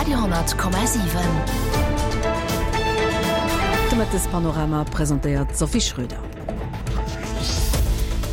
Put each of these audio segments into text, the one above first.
Radio,7. De Mëttespanorama presentéiert d'Sophie Schröder.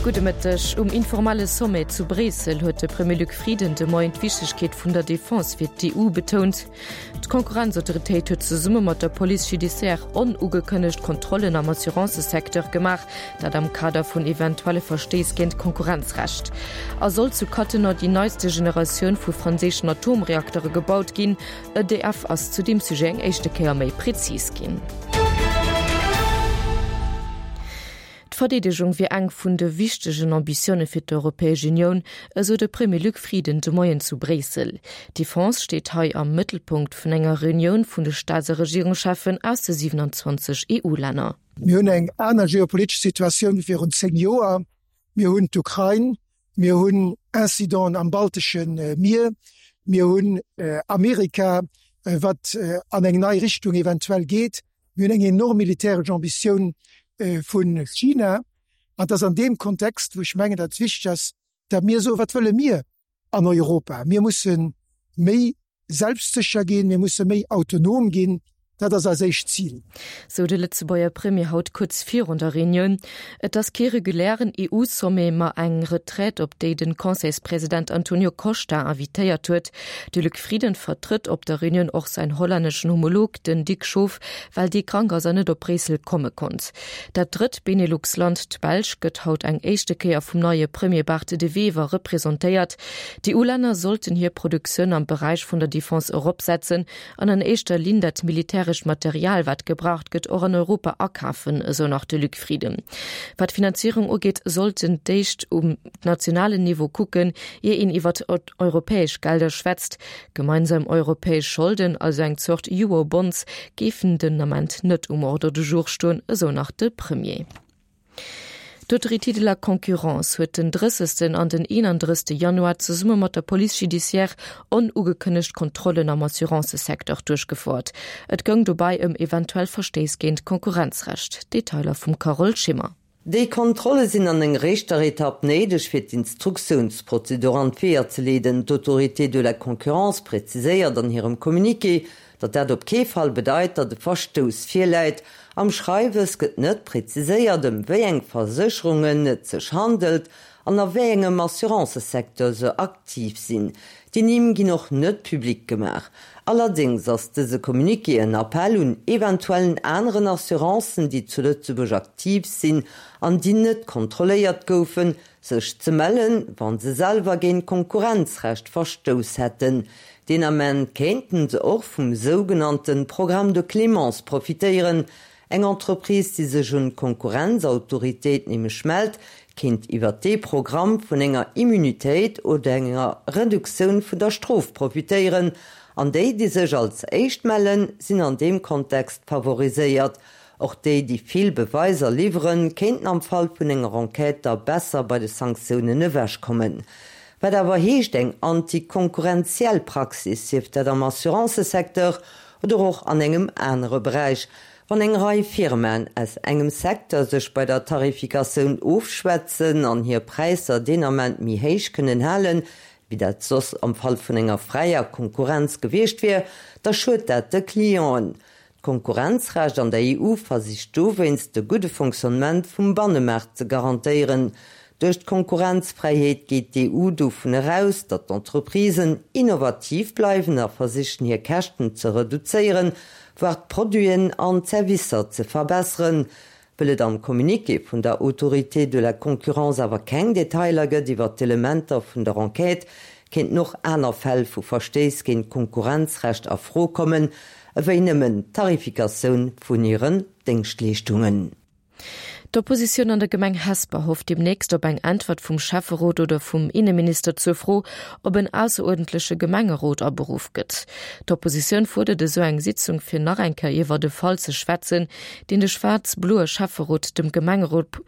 Gudde Mëtteg. Um informelle Sommet zu Bréissel huet de Premier Luc Frieden de Moien d'Wichtegkeet vun der Defense fir d'EU betount. D'Konkurrenzautoritéit huet zesumme mat der Police judiciaire onugekënnegt Kontrollen am Assurancësecteur gemaach, dat am Kader vun eventuelle Verstéiss géint d'Konkurrenzrecht. A soll zu Cattenom déi neiste Generatioun vu franséischen Atomreaktere gebaut ginn? EDF ass zu deem Sujet eng éischte Kéier méi prezis ginn. D'Verdeedegung wier eng vun de wichtegen Ambitioune fir d'Europäesch Unioun, esou de Premier Luc Frieden de Moien zu Bréissel. D'Defense steet hei am Mëttelpunkt vun enger Reunioun vun de Staats a Regierungscheffen aus de 27 EU-Länner. Mir hunn eng aner geopolitesch Situatioun wéi virun 10 Joer. Mir hunn d'Ukrain, mir hunn Incidenten am baltesche Mier, mir hunn Amerika, wat an eng nei Richtung eventuell geet. Mir hunn eng enorm militäresch Ambitioun vu China. An et ass an deem Kontext, wou ech mengen, datt et wichteg ass, datt mir soen, Wat wëlle mir an Europa? Mir musse méi selbstsécher ginn, mir musse méi autonom ginn. Dat ass eis éischt Zil. Sou de Lëtzebuerger Premier haut kuerz virun der Reunioun. Et ass kee regulären EU-Sommet, ma eng Retraite, op déi de Conseilspresident Antonio Costa invitéiert huet. De Luc Frieden vertrëtt op der Reunioun och säin hollänneschen Homolog, den Dick Schoof, well dee krank ass an net op Bréissel komme konnt. Dat drëtt Benelux-Land, d'Belsch, gëtt haut eng éischte Kéier vum neie Premier Bart De Wever representéiert. D'EU-Länner sollten hir Produktioun am Beräich vun der Defense eropsetzen an an éischter Linn dat militärescht Material, wat gebraucht gëtt, och an Europa akafen, esou nach de Luc Frieden. Wat d'Finanzierung ugeet, sollten d'éischt um nationalen Niveau kucken, ier een iwwert europäesch Gelder schwätzt. Gemeinsam europäesch Scholden, also eng Zort Eurobonds, géifen den Ament net um Ordre du jour stoen, esou nach de Premier. D'Autorité de la concurrence huet den 30. An den 31. Januar zesumme mat der Police judiciaire onugekënnegt Kontrollen am Assurancësecteur duerchgefouert. Et goung dobäi ëm eventuell Verstéiss géint d'Konkurrenzrecht. Detailer vum Carole Schimmer. Déi Kontrolle sinn an enger éischter Etapp néideg, fir d'Instruktiounsprozedur an d'Weeër ze leeden. D'Autorité de la concurrence präziséiert an hirem Communiqué, datt dat op kee Fall bedeit, datt e Verstouss virläit. Am Schreiwes gëtt net präziséiert, ëm wéi eng Versécherungen et sech handelt an a wéi engem Assurancësecteur se aktiv sinn. Déi Nimm ginn och net public gemaach. Allerdéngs ass dëse Communiqué en Appell un eventuellen aneren Assurancen, déi zu Lëtzebuerg aktiv sinn an déi net kontrolléiert goufen, sech ze mellen, wa se selwer géint Konkurrenzrecht verstouss hätten. Deen Ament kéinten se och vum sougenannte Programme de clémence profitéieren, Eng Entreprise, déi sech un d'Konkurrenzautoritéit nämlech mellt, kéint iwwer dee Programm vun enger Immunitéit oder enger Reduktioun vun der Strof profitéieren. An déi, déi sech als éischt mellen, sinn an deem Kontext favoriséiert. Och déi, déi vill Beweiser liwweren, kéinten am Fall vun enger Enquête da besser bei de Sanktiounen ewechkommen. Wat awer heescht eng antikonkurrenziell Praxis, sief dat am Assurancësecteur oder och an engem anere Beräich, wann eng Rei Firmaen aus engem Secteur sech bei der Tarifikatioun ofschwätzen an hir Präisser deen Ament méi héich kënnen halen, wéi dat soss am Fall vun enger fräier Konkurrenz gewiescht wier, da schued dat de Clienten. D'Konkurrenzrecht an der EU versicht dowéinst de gudde Fonctionnement vum Bannemaart ze garantéieren. Duerch d'Konkurrenzfräiheet geet d'EU dovun eraus, datt d'Entreprisen innovativ bleiwen a versichen hir Käschten ze reduzéieren, voire d'Produiten an d'Servicer ze verbesseren. Wëll et am Communiqué vun der Autorité de la concurrence awer keng Detailer gëtt iwwer d'Elementer vun der Enquête, kéinten och aner Fäll vu Verstéiss géint d'Konkurrenzrecht a Fro kommen, ewéi nëmmen d'Tarifikatioun vun hiren Déngschtleeschtungen. D'Oppositioun an der Gemeng Hesper hofft deemnächst op eng Äntwert vum Schäfferot oder vum Inneminister zur Fro, ob en ausseruerdentleche Gemengerot aberuff gëtt. D'Oppositioun fuerdert esou eng Sitzung fir nach eng Kéier iwwer e Fall ze schwätzen, deen de schwaarz-bloe Schäfferot dem Gemengerot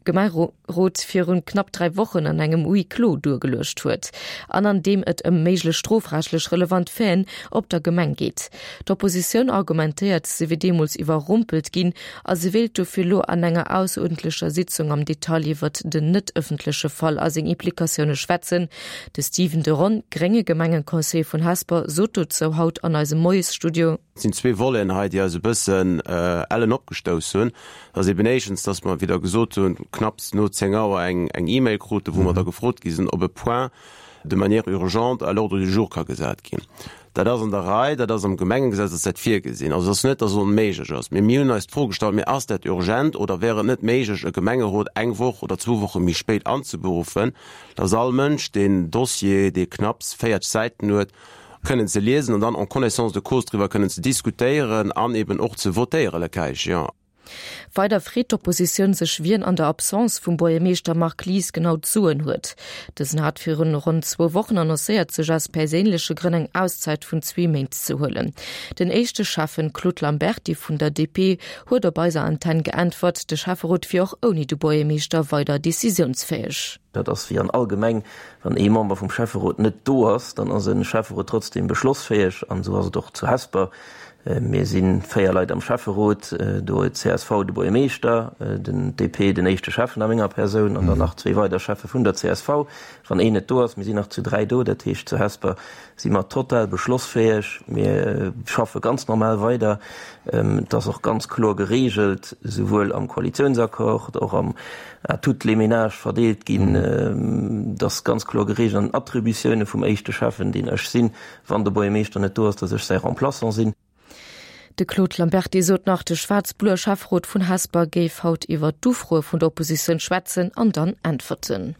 Gemengerot virun knapp 3 Wochen an engem Huis clos duergeluecht huet an an deem et ëm méiglech strofrechtlech relevant Faiten op der Gemeng geet. D'Oppositioun argumentéiert, se wier deemools iwwerrumpelt ginn a se wéilt dofir lo an enger. ausseruerdentlecher Sitzung am Detail iwwert den net ëffentleche Fall a seng Implikatioune schwätzen. De Stephen de Ron, grénge Gemengeconseiller vun Hesper, sot dozou haut an eisem Moiesstudio. Et sinn zwee Voleten hei, déi eis e bëssen ellen opgestouss hunn. Dat ass eben éischtens, dass mer, wéi Der gesot hunn, knapps no 10 Auer eng E-Mail kruten, wou mer da gefrot gi sinn, ob e Point de manière urgente à l'ordre du jour ka gesat ginn. Dat ass an der Rei, dat ass am Gemengegesetz ass dat virgesinn. Also et ass net, dass et onméiglech ass. Mee mir hunn eis d'Fro gestallt, Mee ass dat urgent oder wär et net méiglech, e Gemengerot eng Woch oder zwou Woche méi spéit anzeberuffen, dass all Mënsch deen Dossier, dee knapps 40 Säiten huet, kënnen ze liesen an dann en connaissance de cause driwwer kënnen ze diskutéieren an eben och ze votéieren, le cas échéant. Weider freet d'Oppositioun sech, wien an der Absence vum Buergermeeschter Marc Lies genau d'Soen huet. Dësen hat virun ronn zwou Wochen annoncéiert, sech aus perséinleche Grënn eng Auszäit vun zwee Méint ze huelen. Den éischte Schäffen Claude Lamberty vun der DP huet op eiser Antenn geäntwert, de Schäfferot wier och ouni de Buergermeeschter weider decisiounsfäeg. Dat ass wéi an all Gemeng, wann ee Member vum Schäfferot net do ass, dann ass e Schäfferot trotzdem beschlossfäeg an esou ass et och zu Hesper. Mir si 4 Leit am Schäfferot, do huet csv de Buergermeeschter, den DP den éischte Schäffen a menger Persoun an dann nach zwee weider Schäffe vun der csv. Wann een net do ass, mir sinn nach zu 3 do, dat heescht zu Hesper si mer total beschlossfäeg, mir schaffe ganz normal weider. Et ass och ganz kloer geregelt, souwuel am Koalitiounsaccord, och am à toutes les ménages verdeelt ginn, et ass ganz kloer geregelt an den Attributioune vum éischte Schäffen, deen ech sinn, Wann de Buergermeeschter net do ass, dass ech säi Remplaçant sinn. De Claude Lamberty sot nach, de schwaarz-bloe Schäfferot vun Hesper géif haut iwwer d'Ufroe vun der Oppositioun schwätzen an dann äntwerten.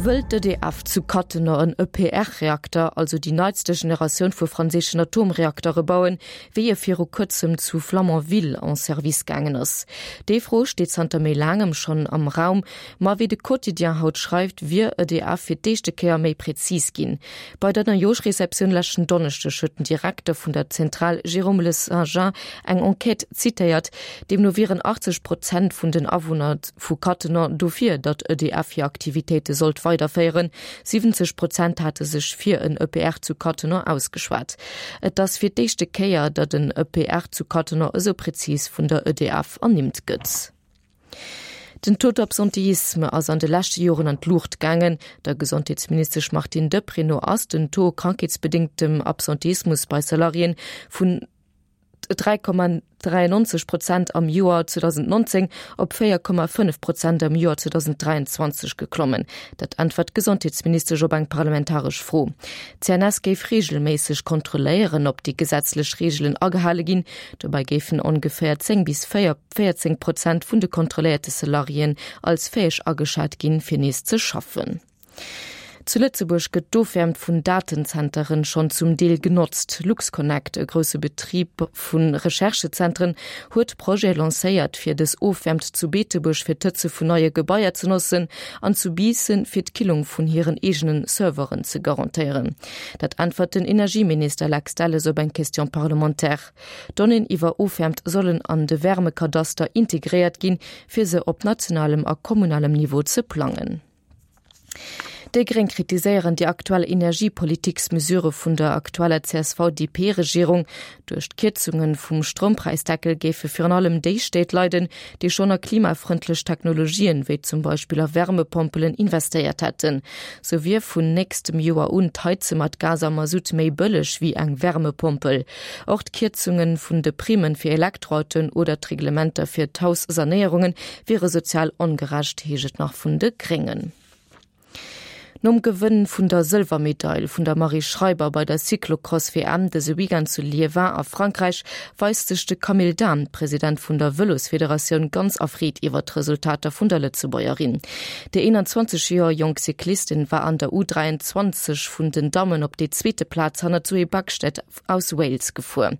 Wëll d'EDF zu Cattenom en EPR-Reakter, also déi neitste Generatioun vu franséischen Atomreaktere bauen, wéi e viru kuerzem zu Flamanville en Service gaangen ass? Déi Fro steet zanter méi laangem schonn am Raum. Ma wéi de Quotidien haut schreift, wier EDF fir d'éischte Kéier méi präzis ginn. Bei der Neijooschreceptioun leschten Donneschdeg huet den Direkter vun der Zentral Jérôme Le Saint-Jean eng Enquête zitéiert. Deemno wieren 80 Prozent vun den Awunner vu Cattenom dofir, datt EDF hir Aktivitéite sollt weiderféieren. 70 Prozent hate sech fir en EPR zu Cattenom ausgeschwat. Et ass fir d'éischte Kéier, datt en EPR zu Cattenom esou präzis vun der EDF ernimmt gëtt. Den Taux d'absentéisme ass an de leschte Joren an d'Luucht gaangen. Der Gesondheetsministesch Martine Deprez no ass den Taux krankheetsbedéngtem Absentéismus bei Salariéen vun 3,93 Prozent am Joer 2019 op 4,5 Prozent am Joer 2023 geklommen. Dat äntwert d'Gesondheetsministesch op eng parlamentaresch Fro. D'CNS géif reegelméisseg kontrolléieren, ob déi gesetzlech Reegelen agehale ginn. Dobäi géifen ongeféier 10 bis 4 14 Prozent vun de kontrolléierte Salariéen als fäeg ageschat ginn, fir nees ze schaffen. Zu Lëtzebuerg gëtt d'Ofwäermt vun Datenzenteren schonn zum Deel genotzt. LuxConnect, e grousse Betrib vu Recherchezentren, huet Projete lancéiert, fir dës Ofwäermt zu Beetebuerg fir d'Hëtze vun neie Gebaier ze notzen an zu Biissen fir d'Killung vun hiren eegene Serveren ze garantéieren. Dat äntwert den Energieminister Lex Delles op eng Question parlementaire. Donnéeën iwwer Ofwäermt sollen an de Wärmekadaster integréiert ginn, fir se op nationalem a kommunalem Niveau ze plangen. Déi Gréng kritiséieren déi aktuell Energiepolitiksmesure vun der aktueller CSV-DP-Regierung. Duerch d'Kierzunge vum Stroumpräisdeckel géife virun allem déi Stéit leiden, déi schonn a klimafrëndlech Technologien, wéi zum Beispill a Wärmepompelen, investéiert hätten. Sou wier vun nächstem Joer un d'Heize mat Gas a Masutt méi bëlleg wéi eng Wärmepompel. Och d'Kierzunge vun de Primme fir Elektroautoen oder d'Reglementer fir d'Haussanéierunge wiere sozial ongerecht, heescht et nach vun de Gréngen. Nom Gewënn vun der Sëlwermedail vun der Marie Schreiber bei der Cyclocross-WM dëse Weekend zu Liévin a Frankräich, weist sech de Camille Dahm, President vun der Vëlosfederatioun, ganz erfreet iwwer d'Resultater vun der Lëtzebuergerin. Déi 21 Joer jonk Cyclistin war an der U23 vun den Dammen op déi zweete Plaz hanner Zoe Backstedt aus Wales gefuer.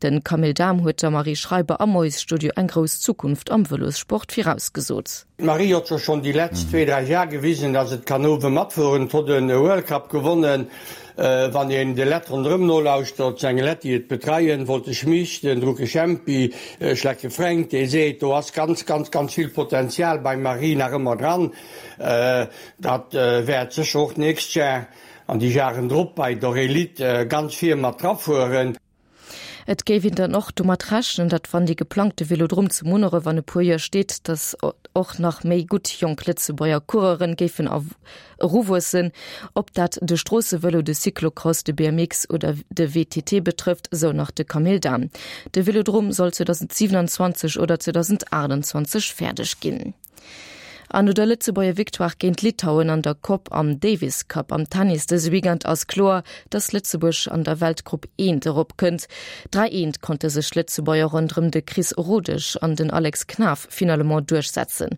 De Camille Dahm huet der Marie Schreiber am Moiesstudio eng grouss Zukunft am Vëlossport virausgesot. D'Marie hott jo schon déi letzt zwee, dräi Jar gewisen, dass et kann owe matfueren. Et hott en World Cup gewonnen. Wann een de Lett ronderëm nolauschtert, seng Lett déi et betreien, Wolter Schmich, den Drucke Jempi, Schlecke Fränk, dee seet, do ass ganz, ganz, ganz vill Potenzial beim Marie nach ëmmer dran. Dat wäert sécher och d'nächst Jar an déi Jaren drop bei der Elite ganz vir mat drafueren. Et géif een dann och domat rechnen, datt wann dee geplangte Vélodrom zu Munneref an e puer Joer steet, datt och nach méi gutt jonk Lëtzebuerger Coureuren géifen eruwuessen. Ob dat de Stroossevëlo, de Cyclocross, de BMX oder de WTT betrëfft, sou nach de Camille Dahm. De Vélodrom soll 2027 oder 2028 fäerdeg ginn. An no der Lëtzebuerger Victoire géint Litauen an der Coupe am Davis Cup am Tennis dëse Weekend ass kloer, dass Lëtzebuerg an der Weltgrupp eent erop kënnt. 3 eent konnte sech d'Lëtzebuerger ronderëm de Chris Rodesch an den Alex Knaff finalement duerchsetzen.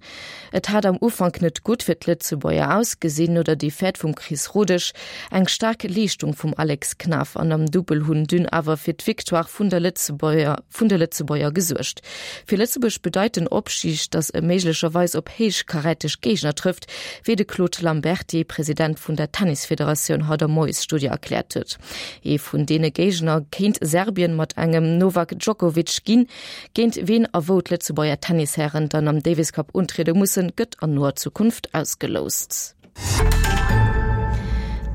Et hat am Ufank net gutt fir d'Lëtzebuerger ausgesinn, no der Defaite vum Chris Rodesch. Eng staark Leeschtung vum Alex Knaff an am Dubbel hunn dunn awer fir d'Victoire vun der Lëtzebuerger vun de Lëtzebuerger gesuergt. Fir Lëtzebuerg bedeit den Opstig, datt e méiglecherweis op héichkaräteg Géigner trëfft, wéi de Claude Lamberty, President vun der Tennisfederatioun, haut am Moiesstudio erkläert huet. Ee vun deene Géigner kéint Serbien mat engem Novak Djokovic ginn. Géint ween a wou d'Lëtzebuerger Tennishären dann am Davis Cup untriede mussen, gëtt an noer Zukunft ausgeloust.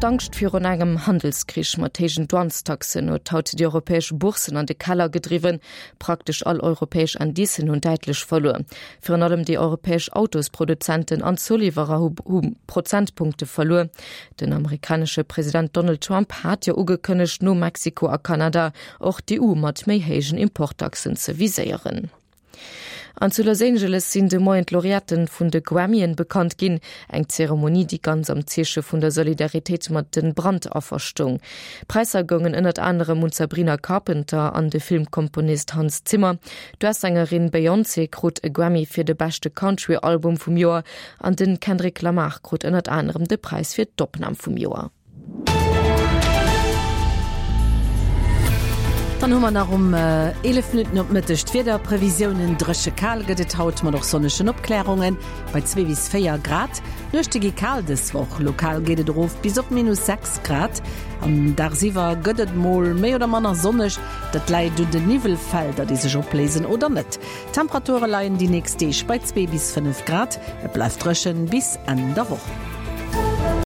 D'Angscht virun engem Handelskrich mat héijen Douanestaxen huet haut déi europäesch Bourssen an de Keller gedriwwen. Praktesch all europäesch Indicen hunn däitlech verluer. Virun allem déi europäesch Autosproduzenten an Zouliwwerer hu Prozentpunkte verluer. Den amerikanesche President Donald Trump hat jo ugekënnegt, no Mexiko a Kanada och d'EU mat méi héijen Importtaxen ze viséieren. An zu Los Angeles sinn de Moien d'Laureaten vun de Grammyen bekannt ginn. Eng Zeremonie, déi ganz am Zeeche vun der Solidaritéit mat de Brandaffer stoung. D'Präisser goungen ënnert anerem un d'Sabrina Carpenter an de Filmkomponist Hans Zimmer. D'US-Sängerin Beyoncé krut e Grammy fir de beschte Country-Album vum Joer an den Kendrick Lamar krut ënnert anerem de Präis fir d'Opnam vum Joer. Dann hu mer nach um 11 Minutten op Mëtteg d'Wiederprevisiounen. Dréche kal gëtt et haut mat och sonnegen Opklärunge bei 2 bis 4 Grad. D'Nuechte gi kal dës Woch, lokal geet et erof bis op minus 6 Grad. An dagsiwwer gëtt et mol méi oder manner sonneg, dat läit un den Niwwelfelder, déi sech opléisen oder net. D'Temperature leien déi nächst Deeg bei 2 bis 5 Grad, et bleift dréchen bis Enn der Woch.